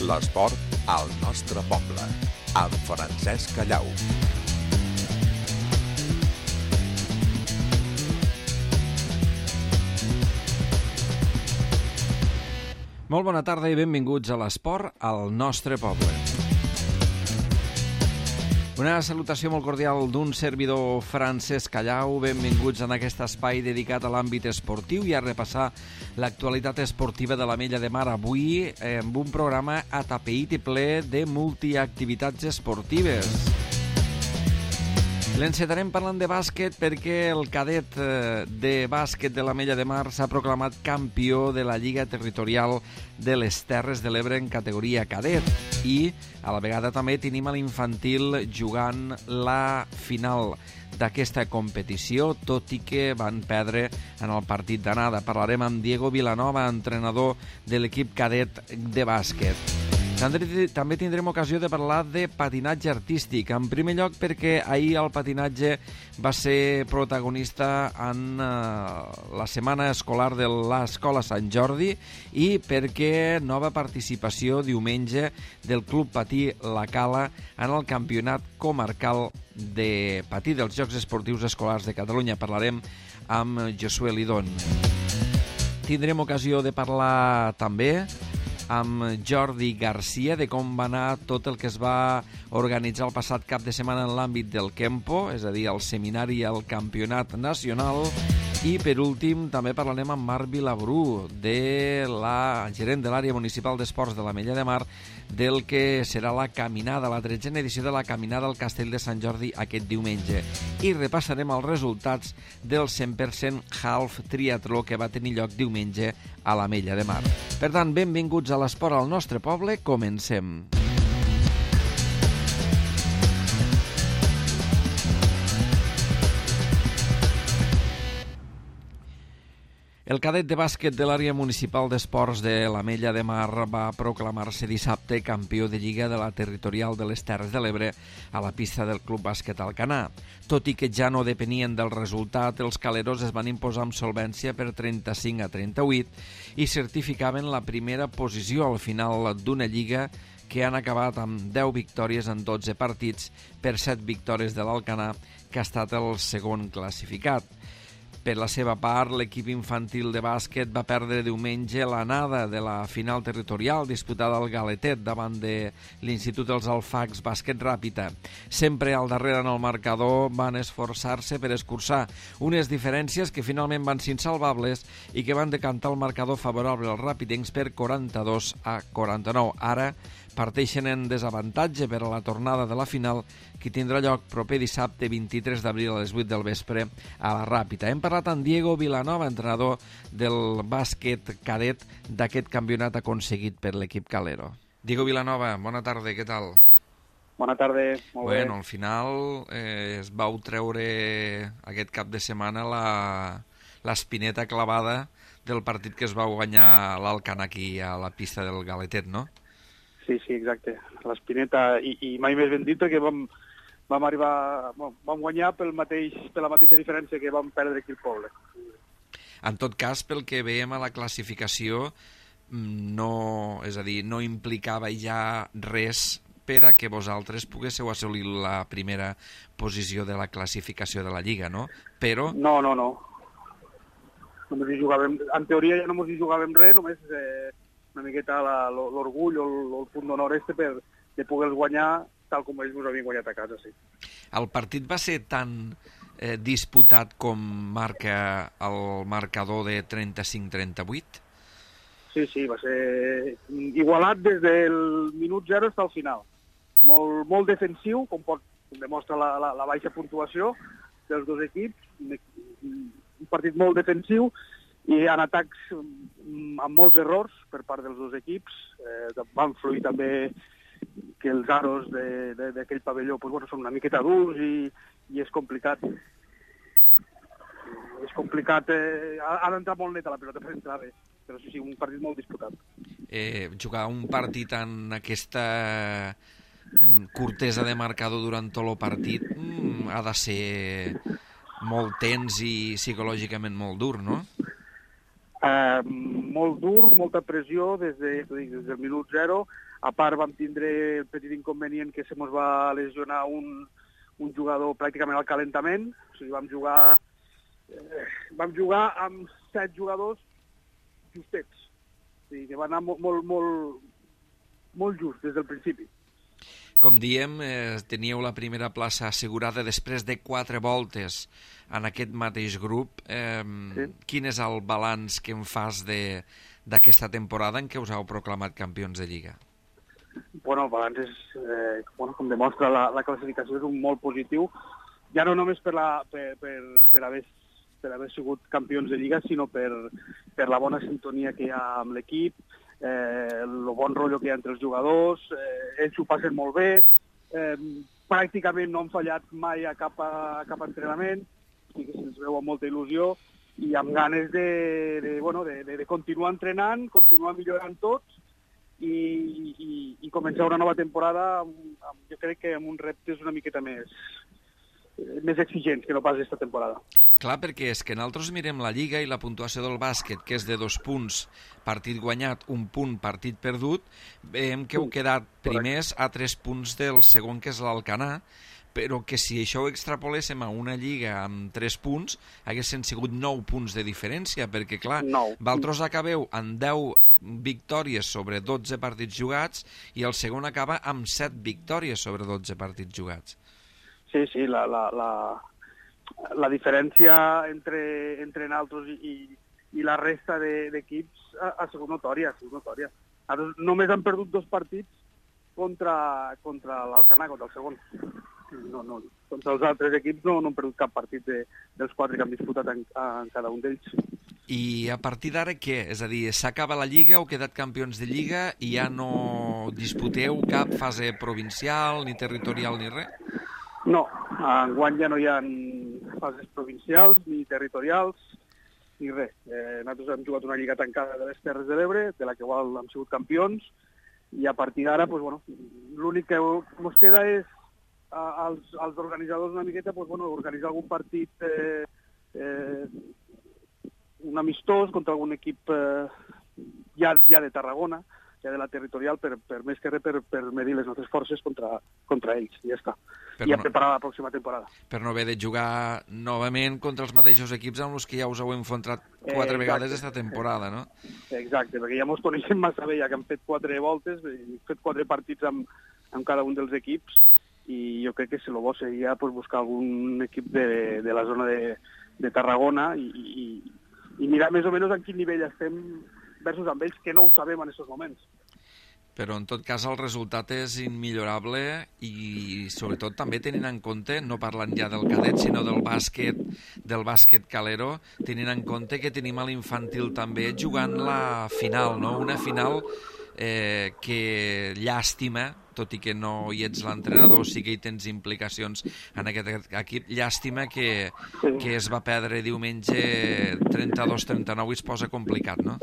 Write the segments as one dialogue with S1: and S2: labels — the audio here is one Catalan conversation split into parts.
S1: L'esport al nostre poble, amb Francesc Callau.
S2: Molt bona tarda i benvinguts a l'esport al nostre poble. Una salutació molt cordial d'un servidor, Francesc Callau. Benvinguts en aquest espai dedicat a l'àmbit esportiu i a repassar l'actualitat esportiva de l'Ametlla de Mar avui amb un programa atapeït i ple de multiactivitats esportives. L'encetarem parlant de bàsquet perquè el cadet de bàsquet de l'Ametlla de Mar s'ha proclamat campió de la Lliga Territorial de les Terres de l'Ebre en categoria cadet i a la vegada també tenim a l'infantil jugant la final d'aquesta competició, tot i que van perdre en el partit d'anada. Parlarem amb Diego Vilanova, entrenador de l'equip cadet de bàsquet. També tindrem ocasió de parlar de patinatge artístic. En primer lloc perquè ahir el patinatge va ser protagonista en la setmana escolar de l'Escola Sant Jordi i perquè nova participació diumenge del Club Patí La Cala en el campionat comarcal de patí dels Jocs Esportius Escolars de Catalunya. Parlarem amb Josué Lidón. Tindrem ocasió de parlar també amb Jordi Garcia de com va anar tot el que es va organitzar el passat cap de setmana en l'àmbit del Kempo, és a dir, el seminari i el campionat nacional. I per últim també parlarem amb Marc Vilabrú, de la gerent de l'àrea municipal d'esports de l'Ametlla de Mar, del que serà la caminada, la 13a edició de la caminada al Castell de Sant Jordi aquest diumenge. I repassarem els resultats del 100% half triatló que va tenir lloc diumenge a l'Ametlla de Mar. Per tant, benvinguts a l'esport al nostre poble. Comencem. El cadet de bàsquet de l'àrea municipal d'esports de l'Ametlla de Mar va proclamar-se dissabte campió de Lliga de la Territorial de les Terres de l'Ebre a la pista del Club Bàsquet Alcanar. Tot i que ja no depenien del resultat, els caleros es van imposar amb solvència per 35-38 i certificaven la primera posició al final d'una Lliga que han acabat amb 10 victòries en 12 partits per 7 victòries de l'Alcanar, que ha estat el segon classificat. Per la seva part, l'equip infantil de bàsquet va perdre diumenge l'anada de la final territorial disputada al Galetet davant de l'Institut dels Alfacs Bàsquet Ràpita. Sempre al darrere en el marcador van esforçar-se per escurçar unes diferències que finalment van ser insalvables i que van decantar el marcador favorable als ràpidencs per 42-49. Ara parteixen en desavantatge per a la tornada de la final, que tindrà lloc proper dissabte 23 d'abril a les 8 del vespre a la Ràpita. Hem parlat amb Diego Vilanova, entrenador del bàsquet cadet d'aquest campionat aconseguit per l'equip calero. Diego Vilanova, bona tarda, què tal?
S3: Bona tarda, molt bé.
S2: Bueno, al final es vau treure aquest cap de setmana l'espineta clavada del partit que es va guanyar l'Alcanar aquí a la pista del Galetet, no?
S3: Sí, exacte. L'espineta, i mai més ben dit perquè vam guanyar per la mateixa diferència que vam perdre aquí al poble.
S2: En tot cas, pel que veiem a la classificació, és a dir, no implicava ja res per a que vosaltres poguéssiu assolir la primera posició de la classificació de la Lliga, no? Però...
S3: No. Només hi jugàvem, en teoria ja no ens hi jugàvem res, només una miqueta l'orgull o el punt d'honor de poder guanyar tal com ells ens havien guanyat a casa, sí.
S2: El partit va ser tan disputat com marca el marcador de 35-38?
S3: Sí, va ser igualat des del minut 0 fins al final. Molt defensiu, com demostra la baixa puntuació dels dos equips, un partit molt defensiu, i en atacs amb molts errors per part dels dos equips. Van fluir també que els aros d'aquell pavelló són una miqueta durs i és complicat. Ha d'entrar molt net a la pilota per entrar bé, però sí, un partit molt disputat.
S2: Jugar un partit en aquesta curtesa de marcador durant tot el partit ha de ser molt tens i psicològicament molt dur, no?
S3: Molt dur, molta pressió des del minut 0. A part vam tindre el petit inconvenient que se mos va lesionar un jugador pràcticament al calentament. O sigui, vam jugar amb 7 jugadors justets. O sigui, que va anar molt just des del principi.
S2: Com diem, teníeu la primera plaça assegurada després de 4 voltes en aquest mateix grup. Sí. Quin és el balanç que en fas d'aquesta temporada en què us heu proclamat campions de Lliga?
S3: Bueno, el balanç és, com demostra la classificació, és un molt positiu, ja no només per haver sigut campions de Lliga, sinó per la bona sintonia que hi ha amb l'equip, el bon rotllo que hi ha entre els jugadors, ells ho passen molt bé, pràcticament no han fallat mai a cap entrenament, i que se'ns veu amb molta il·lusió i amb ganes de continuar entrenant, continuar millorant tots i començar una nova temporada jo crec que amb uns reptes una miqueta més exigents que no pas aquesta temporada.
S2: Clar, perquè és que nosaltres mirem la Lliga i la puntuació del bàsquet, que és de 2 punts, partit guanyat, 1 punt, partit perdut, veiem que heu quedat primers a 3 punts del segon, que és l'Alcanar, però que si això ho extrapoléssim a una Lliga amb 3 punts, haguessin sigut 9 punts de diferència, perquè clar, vosaltres acabeu amb 10 victòries sobre 12 partits jugats i el segon acaba amb 7 victòries sobre 12 partits jugats.
S3: Sí, la diferència entre nosaltres i la resta d'equips ha sigut notòria. Només han perdut 2 partits contra l'Alcanar, contra el segon. No, contra els altres equips no han perdut cap partit dels 4 que han disputat en cada un d'ells.
S2: I a partir d'ara què? És a dir, s'acaba la Lliga, heu quedat campions de Lliga i ja no disputeu cap fase provincial, ni territorial, ni res?
S3: No, enguany ja no hi ha fases provincials ni territorials ni res. Nosaltres hem jugat una lliga tancada de les Terres de l'Ebre, de la que igual hem sigut campions, i a partir d'ara l'únic que ens queda és als organitzadors una miqueta organitzar algun partit un amistós contra algun equip ja de Tarragona, ja de la territorial, per més que res per medir les nostres forces contra ells, i ja està. I a preparar la pròxima temporada.
S2: Per no haver de jugar novament contra els mateixos equips amb els que ja us heu enfrontat 4 vegades aquesta temporada, no?
S3: Exacte, perquè ja ens coneixem massa bé, ja que hem fet 4 voltes, hem fet 4 partits amb cada un dels equips, i jo crec que el bo seria buscar algun equip de la zona de Tarragona i mirar més o menys en quin nivell estem versus amb ells, que no ho sabem en aquests moments.
S2: Però en tot cas el resultat és immillorable i sobretot també tenint en compte, no parlant ja del cadet, sinó del bàsquet calero, tenint en compte que tenim a l'infantil també jugant la final, no? Una final que llàstima, tot i que no hi ets l'entrenador, sí que hi tens implicacions en aquest equip, llàstima que es va perdre diumenge 32-39 i es posa complicat, no?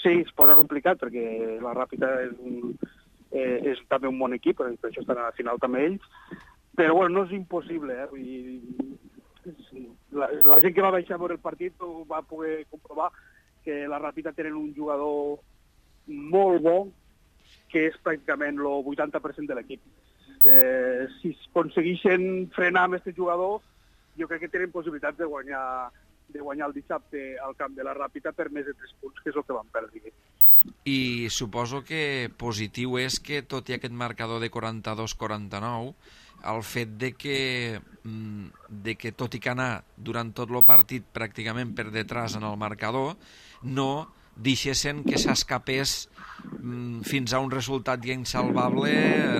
S3: Sí, es posa complicat perquè la Ràpita és també un bon equip, per això estan a la final també ells, però no és impossible. La gent que va baixar a veure el partit va poder comprovar que la Ràpita tenen un jugador molt bo, que és pràcticament el 80% de l'equip. Si aconsegueixen frenar amb aquest jugador, jo crec que tenen possibilitats de guanyar el dissabte al camp de la Ràpita per més de 3 punts, que és el que van perdre.
S2: I suposo que positiu és que, tot i aquest marcador de 42-49, el fet de que tot i que anar durant tot el partit pràcticament per detrás en el marcador, no deixessin que s'escapés fins a un resultat ja insalvable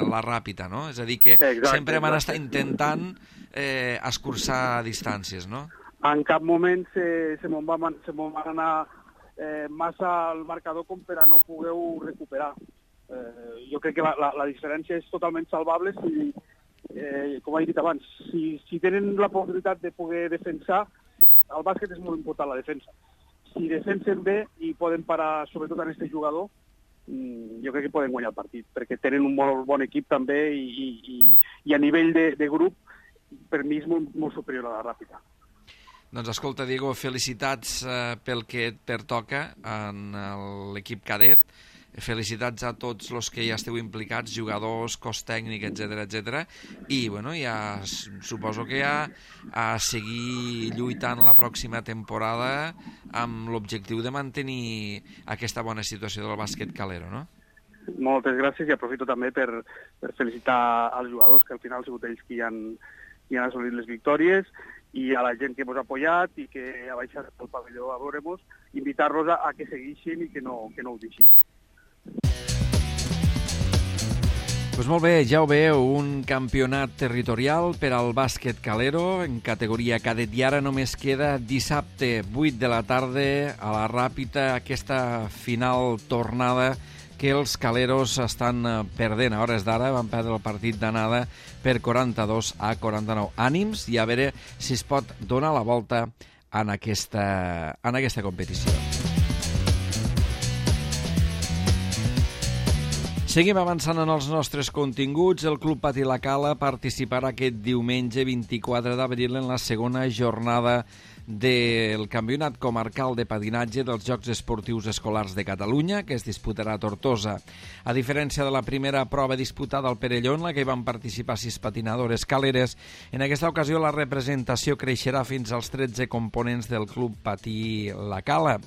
S2: la Ràpita, no? És a dir, que sempre van estar intentant escurçar distàncies, no?
S3: En cap moment se m'ho van anar massa al marcador com per a no poder recuperar. Jo crec que la diferència és totalment salvable si, com he dit abans, si tenen la possibilitat de poder defensar, el bàsquet és molt important, la defensa. Si defensen bé i poden parar sobretot en aquest jugador, jo crec que poden guanyar el partit, perquè tenen un molt bon equip també i a nivell de grup, per mi és molt superior a la Ràpita.
S2: Doncs escolta, Diego, felicitats pel que et pertoca en l'equip cadet. Felicitats a tots els que ja esteu implicats, jugadors, cos tècnic, etc. I bueno, ja suposo que ja a seguir lluitant la pròxima temporada amb l'objectiu de mantenir aquesta bona situació del bàsquet calero, no?
S3: Moltes gràcies i aprofito també per felicitar als jugadors, que al final han sigut ells qui han assolit les victòries, i a la gent que ens ha apoyat i que ha baixat al pavelló a veure-nos, invitar-los a que segueixin i que no ho deixin.
S2: Pues molt bé, ja ho veieu, un campionat territorial per al bàsquet calero en categoria cadet, i ara només queda dissabte 8 de la tarda a la Ràpita aquesta final tornada que els caleros estan perdent a hores d'ara. Van perdre el partit d'anada per 42-49. Ànims i a veure si es pot donar la volta en aquesta competició. Seguim avançant en els nostres continguts. El Club Patí La Cala participarà aquest diumenge 24 d'abril en la segona jornada del Campionat Comarcal de Patinatge dels Jocs Esportius Escolars de Catalunya, que es disputarà a Tortosa. A diferència de la primera prova disputada al Perelló, en la que hi van participar 6 patinadores caleres, en aquesta ocasió la representació creixerà fins als 13 components del Club Patí La Cala.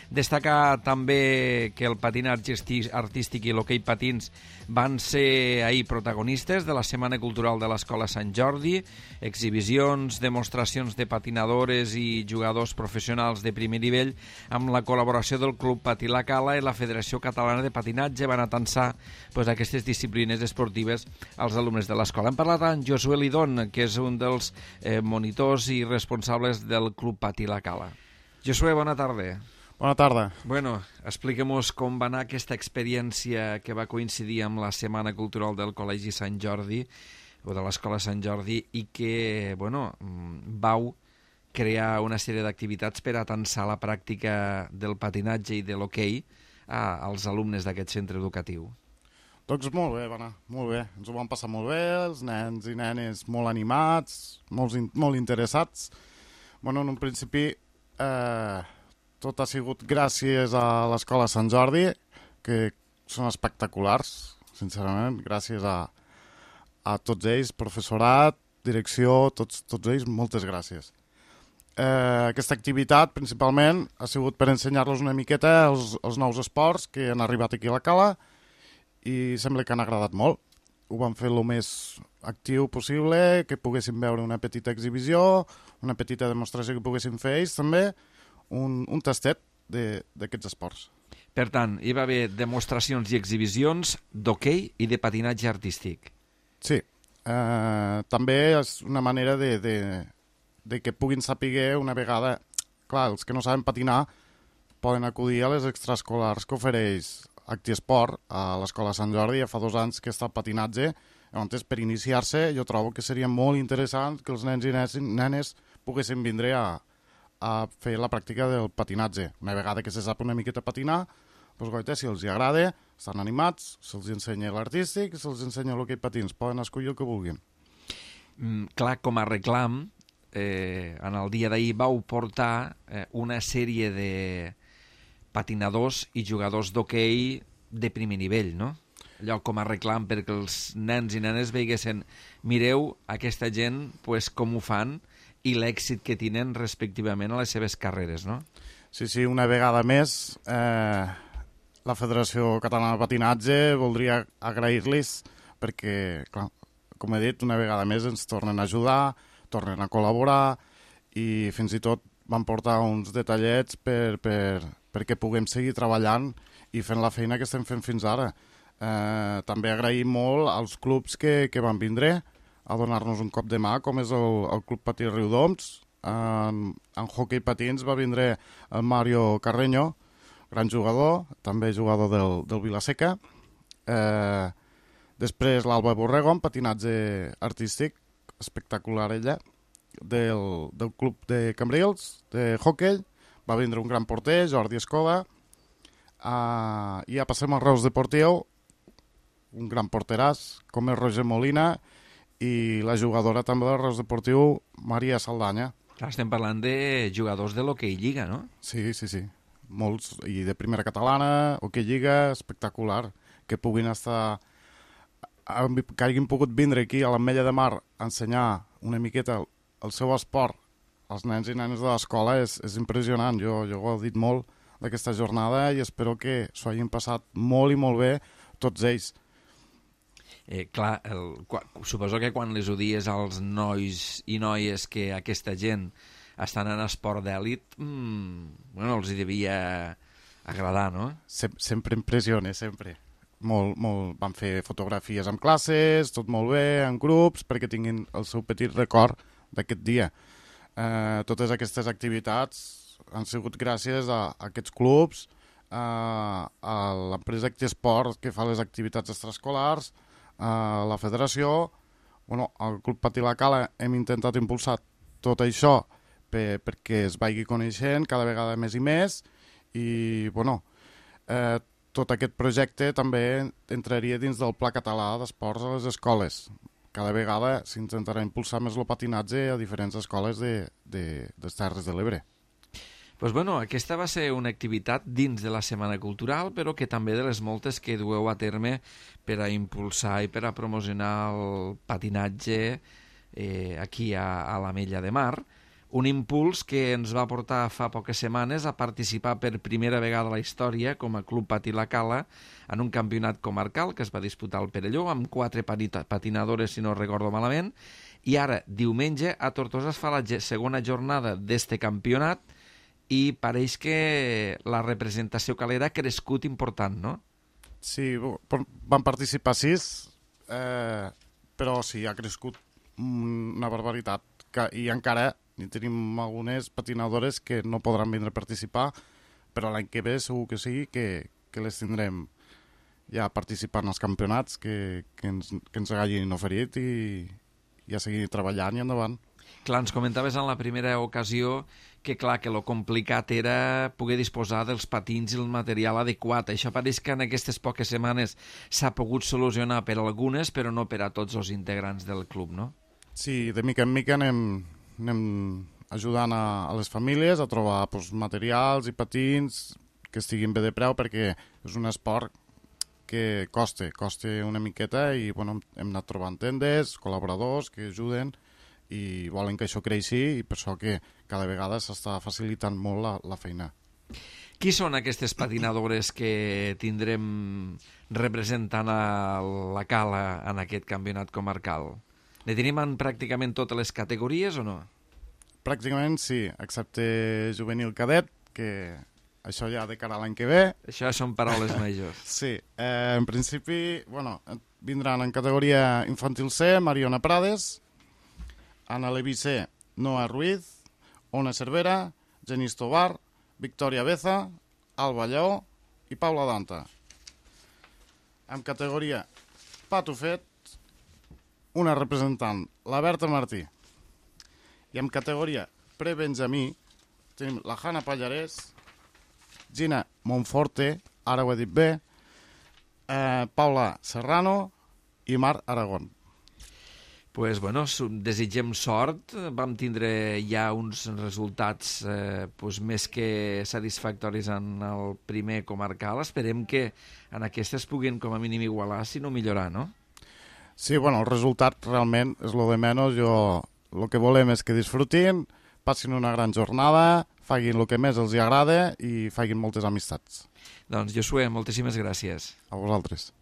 S2: Destacar també que el patinatge artístic i l'hoquei patins van ser ahir protagonistes de la Setmana Cultural de l'Escola Sant Jordi, exhibicions, demostracions de patinadores i jugadors professionals de primer nivell amb la col·laboració del Club Patí La Cala i la Federació Catalana de Patinatge van atensar aquestes disciplines esportives als alumnes de l'escola. Hem parlat amb Josué Lidón, que és un dels monitors i responsables del Club Patí La Cala. Josué, bona tarda.
S4: Bona tarda.
S2: Bueno, expliquem-nos com va anar aquesta experiència que va coincidir amb la Setmana Cultural del Col·legi Sant Jordi, o de l'Escola Sant Jordi, i que, vau crear una sèrie d'activitats per atensar la pràctica del patinatge i de l'hoquei als alumnes d'aquest centre educatiu.
S4: Doncs molt bé, va anar, molt bé. Ens ho vam passar molt bé, els nens i nenes molt animats, molt interessats. En un principi tot ha sigut gràcies a l'Escola Sant Jordi, que són espectaculars, sincerament, gràcies a tots ells, professorat, direcció, tots ells, moltes gràcies. Aquesta activitat, principalment, ha sigut per ensenyar-los una miqueta els nous esports que han arribat aquí a la Cala i sembla que han agradat molt. Ho vam fer el més actiu possible, que poguessin veure una petita exhibició, una petita demostració que poguessin fer ells també, un tastet d'aquests esports.
S2: Per tant, hi va haver demostracions i exhibicions d'hoquei i de patinatge artístic.
S4: Sí, també és una manera de que puguin saber una vegada... Clar, els que no saben patinar poden acudir a les extraescolars que ofereix Actiesport a l'Escola Sant Jordi. Ja fa 2 anys que està el patinatge. Llavors, per iniciar-se, jo trobo que seria molt interessant que els nens i nenes poguessin vindre a fer la pràctica del patinatge. Una vegada que se sap una miqueta patinar, doncs, si els agrada, estan animats, se'ls ensenya l'artístic, se'ls ensenya l'hoquei patins, poden escollir el que vulguin.
S2: Clar, com a reclam, en el dia d'ahir vau portar una sèrie de patinadors i jugadors d'hoquei de primer nivell, no? Allò com a reclam perquè els nens i nenes veiguessin, mireu aquesta gent com ho fan i l'èxit que tenen respectivament a les seves carreres, no?
S4: Sí, una vegada més, la Federació Catalana de Patinatge voldria agrair-los perquè, clar, com he dit, una vegada més ens tornen a ajudar, tornen a col·laborar i fins i tot van portar uns detallets perquè puguem seguir treballant i fent la feina que estem fent fins ara. També agraïm molt als clubs que van vindre a donar-nos un cop de mà, com és el Club Patí Riudoms. En hoquei patins va vindre el Mario Carreño, gran jugador, també jugador del Vilaseca. Després l'Alba Borrego, en patinatge artístic, espectacular ella, del Club de Cambrils, de hoquei. Va vindre un gran porter, Jordi Escoda. I ja passem al Reus Deportiu, un gran porteràs, com és Roger Molina, i la jugadora també del Reus Deportiu, Maria Saldanya.
S2: Clar, estem parlant de jugadors de l'Hockey Lliga, no?
S4: Sí. Molts, i de primera catalana, Hockey Lliga, espectacular. Que puguin estar... que hagin pogut vindre aquí a l'Ametlla de Mar a ensenyar una miqueta el seu esport als nens i nenes de l'escola és impressionant. Jo ho he dit molt d'aquesta jornada i espero que s'ho hagin passat molt i molt bé tots ells.
S2: Clar, suposo que quan les ho dies als nois i noies que aquesta gent estan en esport d'èlit, els hi devia agradar, no?
S4: Sempre impressiona, sempre. Molt. Van fer fotografies amb classes, tot molt bé, en grups, perquè tinguin el seu petit record d'aquest dia. Totes aquestes activitats han sigut gràcies a aquests clubs, a l'empresa Actiesport, que fa les activitats extraescolars, a la federació, al Club Patí La Cala hem intentat impulsar tot això perquè es vagi coneixent cada vegada més i més, i tot aquest projecte també entraria dins del Pla Català d'Esports a les escoles. Cada vegada s'intentarà impulsar més el patinatge a diferents escoles de les Terres de l'Ebre.
S2: Doncs aquesta va ser una activitat dins de la Setmana Cultural, però que també de les moltes que dueu a terme per a impulsar i per a promocionar el patinatge aquí a l'Ametlla de Mar. Un impuls que ens va portar fa poques setmanes a participar per primera vegada a la història com a Club Patí La Cala en un campionat comarcal que es va disputar al Perelló amb 4 patinadores, si no recordo malament, i ara, diumenge, a Tortosa es fa la segona jornada d'este campionat i pareix que la representació calera ha crescut important, no?
S4: Sí, van participar 6, però sí, ha crescut una barbaritat, i encara tenim algunes patinadores que no podran vindre a participar, però l'any que ve segur que sí, que les tindrem ja participant als campionats que ens hagin oferit i a seguir treballant i endavant.
S2: Clar, ens comentaves en la primera ocasió que lo complicat era poder disposar dels patins i el material adequat. Això pareix que en aquestes poques setmanes s'ha pogut solucionar per algunes, però no per a tots els integrants del club, no?
S4: Sí, de mica en mica anem ajudant a les famílies a trobar materials i patins que estiguin bé de preu, perquè és un esport que costa una miqueta i hem anat trobant tendes, col·laboradors que ajuden i volen que això creixi, i per això que cada vegada s'està facilitant molt la feina.
S2: Qui són aquestes patinadores que tindrem representant a la Cala en aquest campionat comarcal? Ne tenim en pràcticament totes les categories o no?
S4: Pràcticament sí, excepte juvenil cadet, que això ja de cara a l'any que ve.
S2: Això són paraules majors.
S4: Sí, en principi, vindran en categoria infantil C, Mariona Prades, Ana Leví C, Noa Ruiz, Ona Cervera, Genís Tobar, Victòria Beza, Alba Lleó i Paula Danta. En categoria Patufet, una representant, la Berta Martí. I en categoria pre-benjamí tenim la Hanna Pallarès, Gina Monforte, ara ho he dit bé, Paula Serrano i Mar Aragón.
S2: Pues desitgem sort. Vam tindre ja uns resultats més que satisfactoris en el primer comarcal. Esperem que en aquestes puguin com a mínim igualar, si no millorar, no?
S4: Sí, el resultat realment és lo de menys. El que volem és que disfrutin, passin una gran jornada, facin el que més els agrada i facin moltes amistats.
S2: Doncs, Josué, moltíssimes gràcies.
S4: A vosaltres.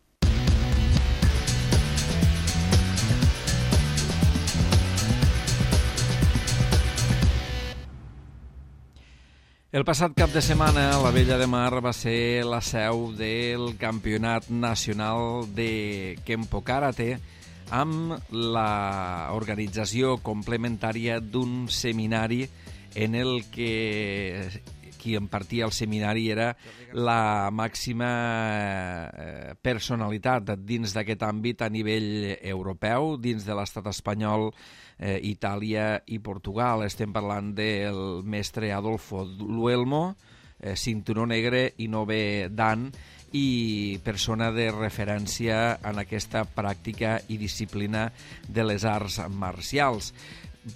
S2: El passat cap de setmana, l'Ametlla de Mar va ser la seu del Campionat Nacional de Kempo Karate amb l'organització complementària d'un seminari en el que qui impartia el seminari era la màxima personalitat dins d'aquest àmbit a nivell europeu, dins de l'estat espanyol, Itàlia i Portugal. Estem parlant del mestre Adolfo Luelmo, cinturó negre i 9è dan, i persona de referència en aquesta pràctica i disciplina de les arts marcials.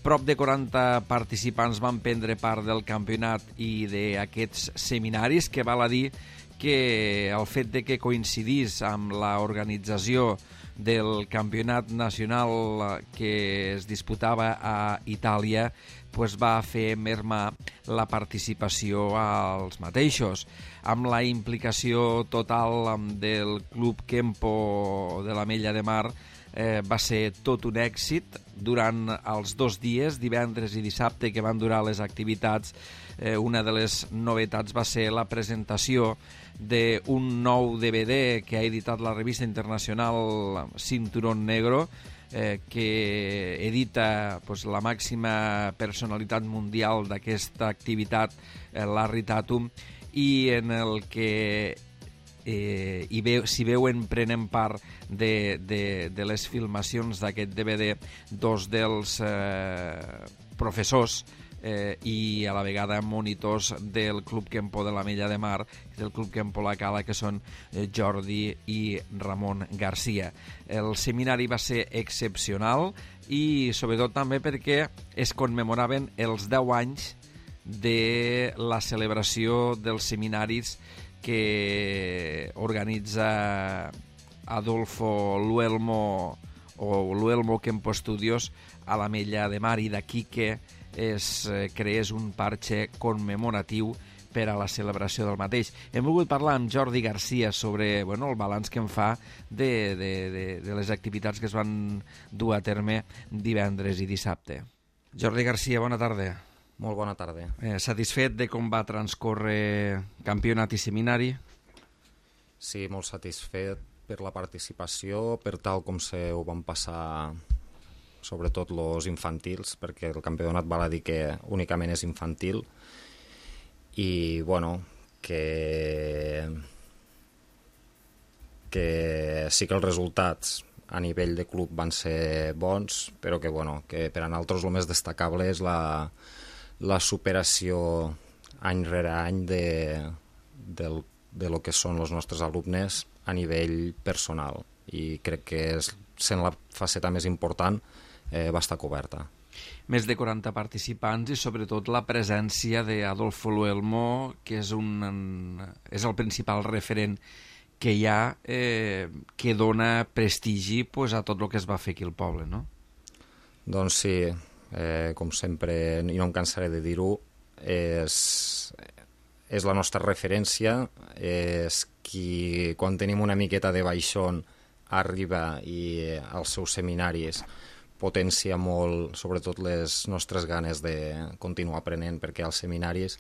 S2: Prop de 40 participants van prendre part del campionat i d'aquests seminaris, que val a dir que el fet de que coincidís amb l'organització del campionat nacional que es disputava a Itàlia va fer mermar la participació als mateixos. Amb la implicació total del Club Kempo de l'Ametlla de Mar va ser tot un èxit. Durant els 2 dies, divendres i dissabte, que van durar les activitats, una de les novetats va ser la presentació d'un nou DVD que ha editat la revista internacional Cinturón Negro, que edita la màxima personalitat mundial d'aquesta activitat, Larry Tatum, i en el que s'hi veuen prenent part de les filmacions d'aquest DVD 2 dels professors i a la vegada monitors del Club Kempo de l'Ametlla de Mar, del Club Kempo La Cala, que són Jordi i Ramon Garcia. El seminari va ser excepcional i sobretot també perquè es commemoraven els 10 anys de la celebració dels seminaris que organitza Adolfo Luelmo o Luelmo Kempo Studios a l'Ametlla de Mar, i d'aquí que es creés un parxe commemoratiu per a la celebració del mateix. Hem volgut parlar amb Jordi Garcia sobre el balanç que en fa de les activitats que es van dur a terme divendres i dissabte. Jordi Garcia, bona tarda.
S5: Molt bona tarda.
S2: Satisfet de com va transcórrer campionat i seminari?
S5: Sí, molt satisfet per la participació, per tal com ho van passar sobretot els infantils, perquè el campionat val a dir que únicament és infantil, i que sí que els resultats a nivell de club van ser bons, però que per a nosaltres el més destacable és la superació any rere any de lo que són els nostres alumnes a nivell personal, i crec que sent la faceta més important va estar coberta.
S2: Més de 40 participants i sobretot la presència d'Adolfo Luelmo, que és el principal referent que hi ha, que dona prestigi a tot el que es va fer aquí al poble, no?
S5: Doncs sí, com sempre, i no em cansaré de dir-ho, és la nostra referència, és qui, quan tenim una miqueta de baixón, arriba i als seus seminaris potencia molt, sobretot, les nostres ganes de continuar aprenent, perquè als seminaris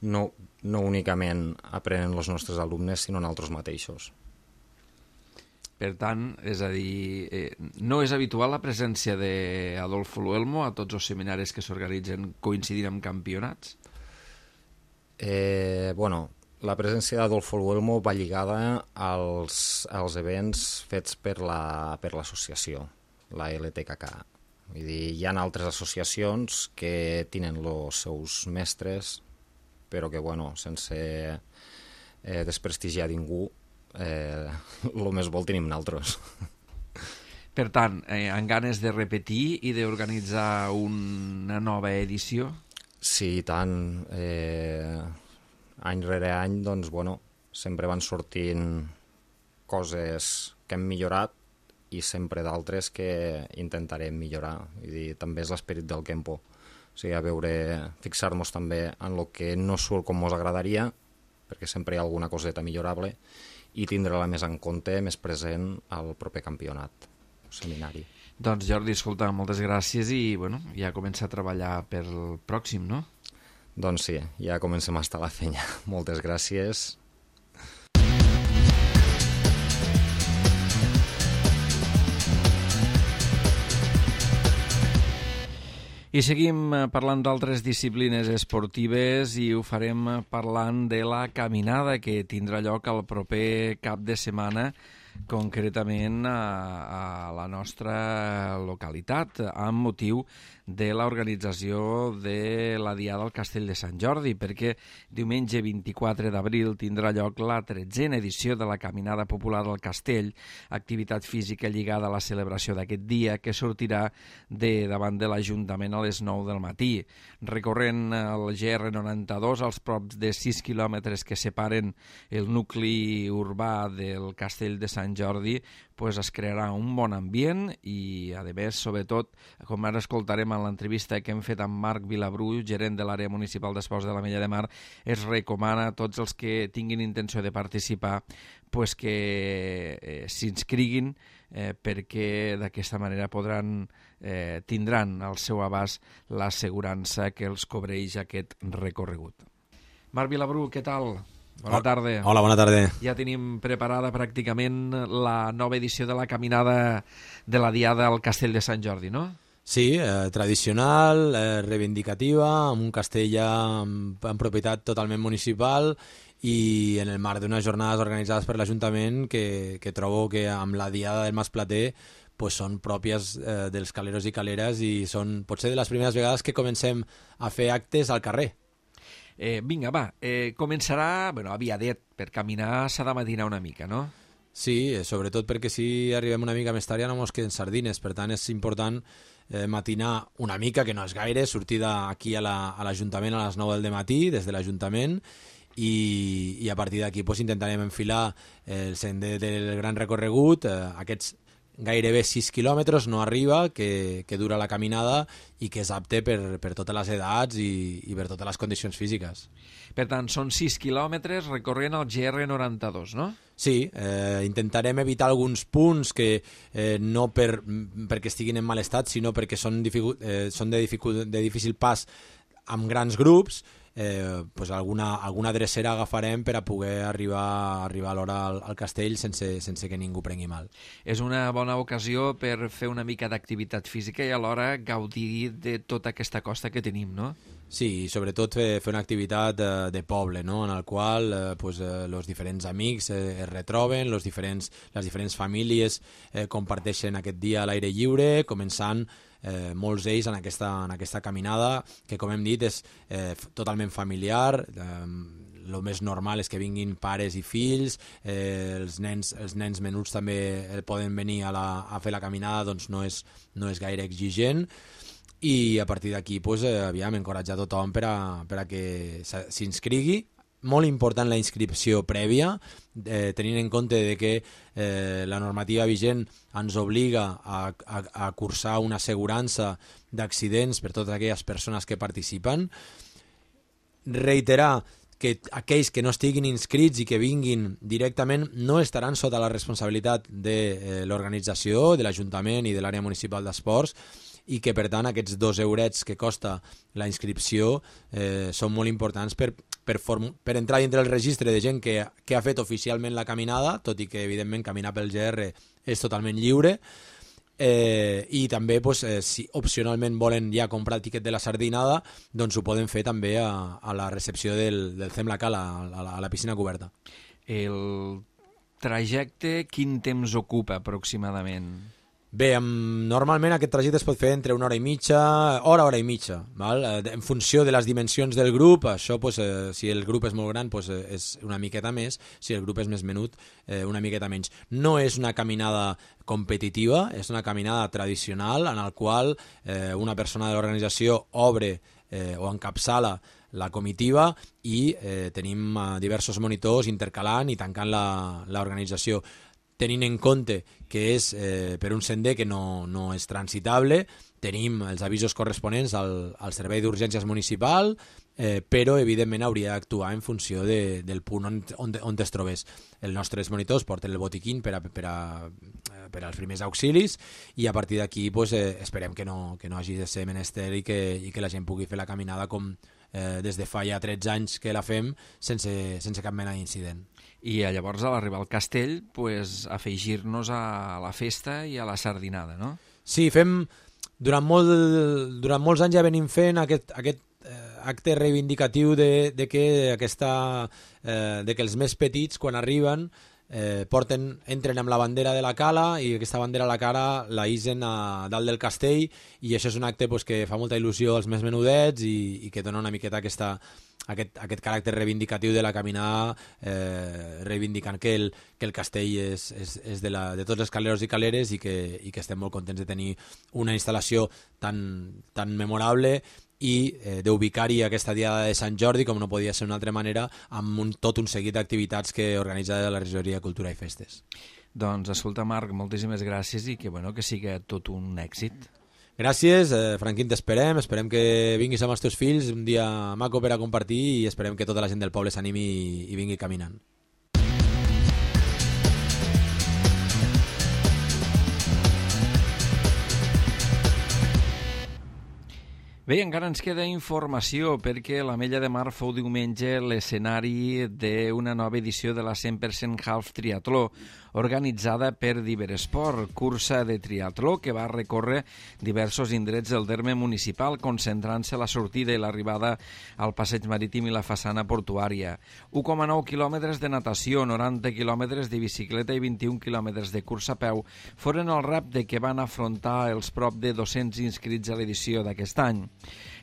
S5: no únicament aprenen els nostres alumnes, sinó nosaltres mateixos.
S2: Per tant, és a dir, no és habitual la presència d'Adolfo Luelmo a tots els seminaris que s'organitzen coincidint amb campionats?
S5: La presència d'Adolfo Luelmo va lligada als events fets per l'associació, la LTKK. Vull dir, hi ha altres associacions que tenen els seus mestres, però que, sense desprestigiar ningú, el més bo el tenim nosaltres.
S2: Per tant, amb ganes de repetir i d'organitzar una nova edició?
S5: Sí, i tant. Any rere any, sempre van sortint coses que hem millorat i sempre d'altres que intentarem millorar. Vull dir, també és l'esperit del Kempo. O sigui, fixar-nos també en el que no surt com ens agradaria, perquè sempre hi ha alguna coseta millorable, i tindre-la més en compte, més present al proper campionat, seminari.
S2: Doncs Jordi, escolta, moltes gràcies i ja comença a treballar pel pròxim, no?
S5: Doncs sí, ja comencem a estar a la feina. Moltes gràcies.
S2: I seguim parlant d'altres disciplines esportives i ho farem parlant de la caminada que tindrà lloc el proper cap de setmana concretament a la nostra localitat, amb motiu de l'organització de la Diada al Castell de Sant Jordi, perquè diumenge 24 d'abril tindrà lloc la 13a edició de la Caminada Popular al Castell, activitat física lligada a la celebració d'aquest dia, que sortirà de davant de l'Ajuntament a les 9 del matí. Recorrent el GR92 als props de 6 quilòmetres que separen el nucli urbà del Castell de Sant Jordi, pues es crearà un bon ambient i, a més, sobretot, com ara escoltarem en l'entrevista que hem fet amb Marc Vilabru, gerent de l'àrea municipal d'esports de l'Ametlla de Mar, es recomana a tots els que tinguin intenció de participar pues que s'inscriguin perquè d'aquesta manera tindran al seu abast l'assegurança que els cobreix aquest recorregut. Marc Vilabru, què tal? Bona tarda.
S6: Hola, bona tarda.
S2: Ja tenim preparada pràcticament la nova edició de la caminada de la Diada al Castell de Sant Jordi, no?
S6: Sí, tradicional, reivindicativa, amb un castell ja en propietat totalment municipal i en el marc d'unes jornades organitzades per l'Ajuntament que trobo que amb la Diada del Mas Plater pues són pròpies dels caleros i caleres i són potser de les primeres vegades que comencem a fer actes al carrer.
S2: Vinga, va, començarà, havia dit, per caminar s'ha de matinar una mica, no?
S6: Sí, sobretot perquè si arribem una mica més tard ja no mos queden sardines, per tant és important matinar una mica, que no és gaire, sortir d'aquí a l'Ajuntament a les 9 del matí, des de l'Ajuntament, i a partir d'aquí pues, intentarem enfilar el sender del gran recorregut, aquests gairebé 6 quilòmetres, no arriba, que dura la caminada i que és apte per totes les edats i per totes les condicions físiques.
S2: Per tant, són 6 quilòmetres recorrent el GR92, no?
S6: Sí, intentarem evitar alguns punts que no perquè estiguin en mal estat, sinó perquè són de difícil pas amb grans grups. Pues alguna drecera agafarem per a poder arribar a l'hora al castell sense que ningú prengui mal.
S2: És una bona ocasió per fer una mica d'activitat física i alhora gaudir de tota aquesta costa que tenim, no?
S6: Sí, sobretot fer una activitat de poble, no? En el qual els diferents amics es retroben, les diferents famílies comparteixen aquest dia a l'aire lliure, començant molts d'ells en aquesta caminada que, com hem dit, és totalment familiar. El més normal és que vinguin pares i fills, els nens menuts també poden venir a fer la caminada, doncs no és gaire exigent. I a partir d'aquí aviam encoratjar tothom per a que s'inscrigui. Molt important la inscripció prèvia, tenint en compte de que la normativa vigent ens obliga a cursar una assegurança d'accidents per totes aquelles persones que participen. Reiterar que aquells que no estiguin inscrits i que vinguin directament no estaran sota la responsabilitat de l'organització, de l'Ajuntament i de l'àrea municipal d'esports, i que per tant aquests 2 eurets que costa la inscripció són molt importants per entrar dintre el registre de gent que ha fet oficialment la caminada, tot i que evidentment caminar pel GR és totalment lliure, i també si opcionalment volen ja comprar el tiquet de la sardinada, doncs ho poden fer també a la recepció del Zemlacal, a la piscina coberta.
S2: El trajecte quin temps ocupa aproximadament?
S6: Bé, normalment aquest trajecte es pot fer entre una hora i mitja, hora i mitja, val? En funció de les dimensions del grup. Això, si el grup és molt gran, és una miqueta més, si el grup és més menut, una miqueta menys. No és una caminada competitiva, és una caminada tradicional en el qual una persona de l'organització obre o encapçala la comitiva i tenim diversos monitors intercalant i tancant l'organització. Tenint en compte que és per un sender que no és transitable, tenim els avisos corresponents al Servei d'Urgències Municipal, però evidentment hauria d'actuar en funció del punt on es trobés. Els nostres monitors porten el botiquín per als primers auxilis i a partir d'aquí esperem que no hagi de ser menester i que la gent pugui fer la caminada com des de fa ja 13 anys que la fem sense cap mena d'incident.
S2: I llavors, a l'arribar al castell, afegir-nos a la festa i a la sardinada, no?
S6: Sí, durant molts anys ja venim fent aquest acte reivindicatiu de que els més petits, quan arriben, entren amb la bandera de la cala i aquesta bandera a la cara la isen a dalt del castell, i això és un acte pues, que fa molta il·lusió als més menudets i que dona una miqueta aquest caràcter reivindicatiu de la caminada, reivindicant que el castell és de tots els caleros i caleres i que estem molt contents de tenir una instal·lació tan memorable i d'ubicar-hi aquesta diada de Sant Jordi, com no podia ser d'una altra manera, amb tot un seguit d'activitats que organitza la Regidoria de Cultura i Festes.
S2: Doncs, escolta, Marc, moltíssimes gràcies i que siga tot un èxit.
S6: Gràcies, Franquín, t'esperem que vinguis amb els teus fills, un dia maco per a compartir, i esperem que tota la gent del poble s'animi i vingui caminant.
S2: Bé, encara ens queda informació perquè l'Ametlla de Mar fou diumenge l'escenari d'una nova edició de la 100% Half Triatló, organitzada per Diveresport, cursa de triatló que va recórrer diversos indrets del terme municipal, concentrant-se la sortida i l'arribada al passeig marítim i la façana portuària. 1,9 quilòmetres de natació, 90 quilòmetres de bicicleta i 21 quilòmetres de cursa a peu foren el repte que van afrontar els prop de 200 inscrits a l'edició d'aquest any.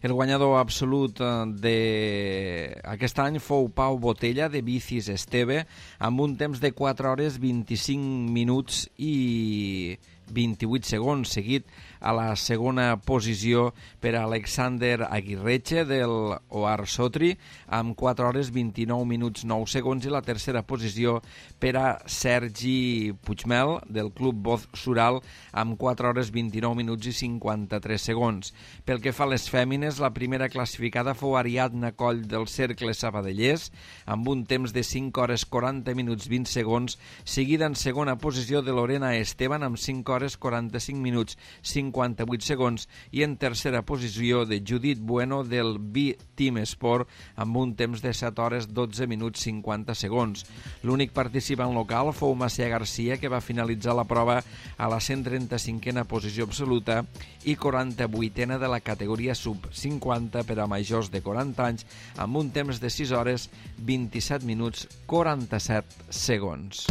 S2: El guanyador absolut d'aquest any fou Pau Botella, de Bicis Esteve, amb un temps de 4 hores 25 minuts i 28 segons, seguit a la segona posició per Alexander Aguirreche del Oar Sotri amb 4 hores 29 minuts 9 segons i la tercera posició per a Sergi Puigmel del Club Boz Sural amb 4 hores 29 minuts i 53 segons. Pel que fa a les fèmines, la primera classificada fou Ariadna Coll del Cercle Sabadellers amb un temps de 5 hores 40 minuts 20 segons, seguida en segona posició de Lorena Esteban amb 5 hores 45 minuts 58 segons i en tercera posició de Judit Bueno del B-Team Sport amb un temps de 7 hores 12 minuts 50 segons. L'únic participant local fou Macià Garcia, que va finalitzar la prova a la 135a posició absoluta i 48a de la categoria sub-50 per a majors de 40 anys amb un temps de 6 hores 27 minuts 47 segons.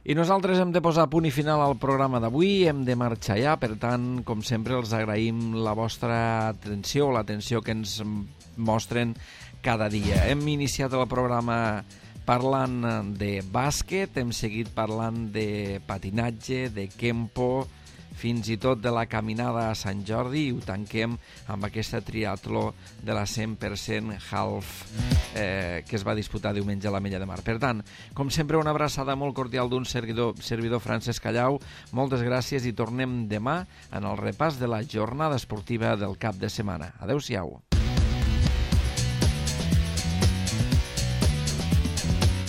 S2: I nosaltres hem de posar punt i final al programa d'avui, hem de marxar ja, per tant, com sempre, els agraïm la vostra atenció, l'atenció que ens mostren cada dia. Hem iniciat el programa parlant de bàsquet, hem seguit parlant de patinatge, de kempo, fins i tot de la caminada a Sant Jordi, i ho tanquem amb aquesta triatló de la 100% half que es va disputar diumenge a l'Ametlla de Mar. Per tant, com sempre, una abraçada molt cordial d'un servidor Francesc Callau. Moltes gràcies i tornem demà en el repàs de la jornada esportiva del cap de setmana. Adéu-siau.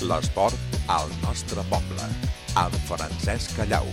S1: L'esport al nostre poble, amb Francesc Callau.